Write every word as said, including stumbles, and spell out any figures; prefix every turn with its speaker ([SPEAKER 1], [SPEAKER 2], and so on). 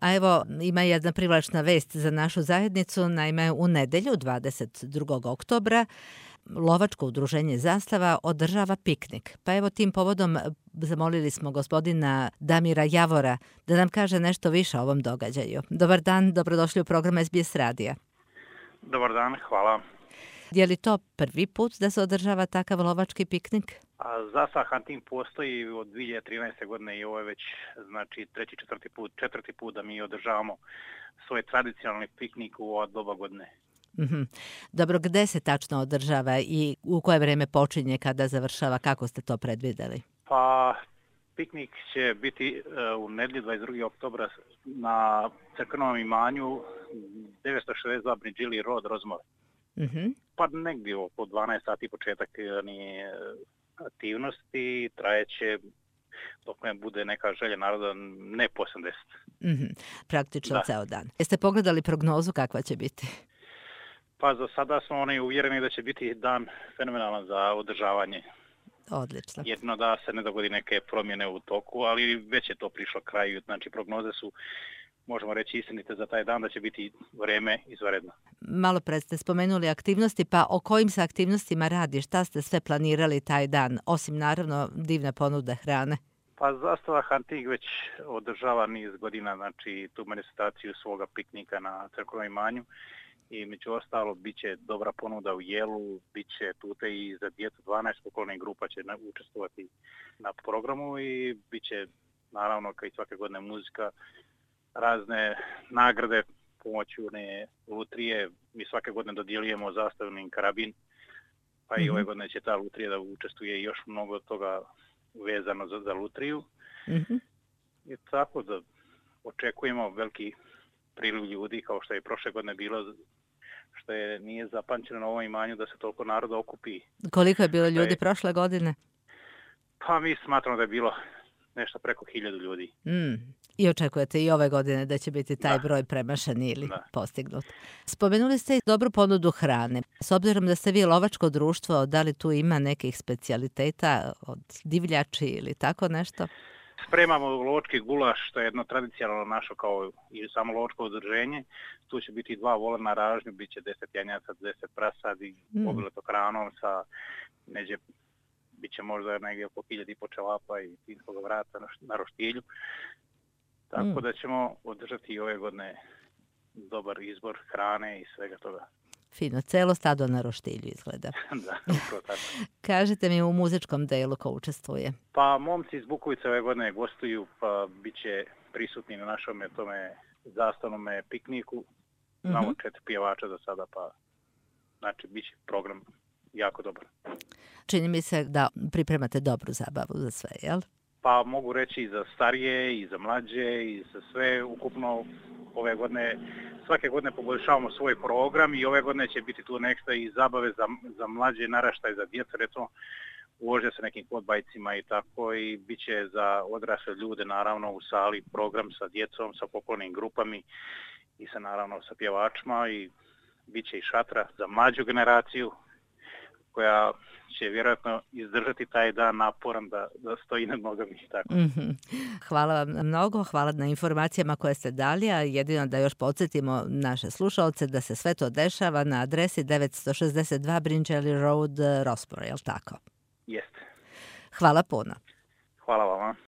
[SPEAKER 1] A evo, ima jedna privlačna vest za našu zajednicu. Naime, u nedelju, dvadeset drugog oktobra, Lovačko udruženje Zastava održava piknik. Pa evo tim povodom zamolili smo gospodina Damira Javora da nam kaže nešto više o ovom događaju. Dobar dan, dobrodošli u program S B S radija.
[SPEAKER 2] Dobar dan, hvala.
[SPEAKER 1] Je li to prvi put da se održava takav lovački piknik?
[SPEAKER 2] A Zastava Hunting postoji od dvije hiljade trinaeste. godine i ovo je već znači treći, četvrti put, četvrti put da mi održavamo svoj tradicionalni piknik u ova doba godine.
[SPEAKER 1] Mm-hmm. Dobro, gde se tačno održava i u koje vreme počinje, kada završava, kako ste to predvideli?
[SPEAKER 2] Pa piknik će biti uh, u nedjelju dvadeset drugog oktobra na crkvenom imanju devetsto šezdeset dva Bridgili Road, Rozmore.
[SPEAKER 1] Mm-hmm.
[SPEAKER 2] Pa negdje oko dvanaest sati početak ni aktivnosti, trajeće dok ne bude neka želja naroda, ne po osamdeset.
[SPEAKER 1] Mm-hmm. Praktično
[SPEAKER 2] da.
[SPEAKER 1] Ceo dan. Jeste pogledali prognozu kakva će biti?
[SPEAKER 2] Pa za sada smo oni uvjereni da će biti dan fenomenalan za održavanje.
[SPEAKER 1] Odlično.
[SPEAKER 2] Jedno da se ne dogodi neke promjene u toku, ali već je to prišlo kraju. Znači prognoze su, možemo reći, istinite za taj dan da će biti vrijeme izvanredno.
[SPEAKER 1] Malo pred ste spomenuli aktivnosti, pa o kojim se aktivnostima radi? Šta ste sve planirali taj dan, osim naravno divne ponude hrane?
[SPEAKER 2] Pa Zastava Hunting već održava niz godina, znači tu manifestaciju svoga piknika na crkvenom imanju. I među ostalo bit će dobra ponuda u jelu, bit će tute i za djecu, dvanaest pokolnih grupa će učestvovati na programu i bit će naravno kao i svake godine muzika, razne nagrade pomoću one lutrije. Mi svake godine dodjeljujemo zastavni karabin, pa mm-hmm. i ove godine će ta lutrija da učestvuje i još mnogo toga vezano za, za lutriju.
[SPEAKER 1] Mm-hmm.
[SPEAKER 2] I tako da očekujemo veliki priliv ljudi kao što je prošle godine bilo, što je nije zapamćeno na ovom imanju da se toliko naroda okupi.
[SPEAKER 1] Koliko je bilo ljudi je... prošle godine?
[SPEAKER 2] Pa mi smatramo da je bilo nešto preko hiljadu ljudi.
[SPEAKER 1] Mm. I očekujete i ove godine da će biti taj
[SPEAKER 2] da.
[SPEAKER 1] broj premašen ili
[SPEAKER 2] da.
[SPEAKER 1] postignut. Spomenuli ste i dobru ponudu hrane. S obzirom da ste vi lovačko društvo, da li tu ima nekih specijaliteta od divljači ili tako nešto?
[SPEAKER 2] Spremamo lovački gulaš, što je jedno tradicionalno našo kao i samo lovačko udruženje. Tu će biti dva vola na ražnju, bit će deset janjaca, deset prasadi, mm. obileto hranom sa neđe, bit će možda negdje oko hiljadu i po čelapa i finskog vrata na, na roštilju. Tako mm. da ćemo održati i ove godine dobar izbor hrane i svega toga.
[SPEAKER 1] Fino, celo stado na roštilju izgleda.
[SPEAKER 2] da, upravo tako.
[SPEAKER 1] Kažete mi u muzičkom delu ko učestvuje?
[SPEAKER 2] Pa momci iz Bukovice ove godine gostuju, pa bit će prisutni na našome tome zastavnome pikniku. Imamo mm-hmm. četiri pjevača do sada, pa znači bit će program jako dobar.
[SPEAKER 1] Čini mi se da pripremate dobru zabavu za sve, jel?
[SPEAKER 2] Pa mogu reći i za starije, i za mlađe, i za sve ukupno ove godine. Svake godine poboljšavamo svoj program i ove godine će biti tu nešto i zabave za, za mlađe naraštaje, za djecu, recimo ulože se nekim podbajcima i tako i bit će za odrasle ljude naravno u sali program sa djecom, sa pokolnim grupami i sa naravno sa pjevačima i bit će i šatra za mlađu generaciju koja će vjerojatno izdržati taj dan naporan da, da stoji na nogama i tako.
[SPEAKER 1] Mm-hmm. Hvala vam mnogo, hvala na informacijama koje ste dali, a jedino da još podsjetimo naše slušalce da se sve to dešava na adresi devetsto šezdeset dva Bridgili Road, Rossboro, je li tako?
[SPEAKER 2] Jeste.
[SPEAKER 1] Hvala puno.
[SPEAKER 2] Hvala vama.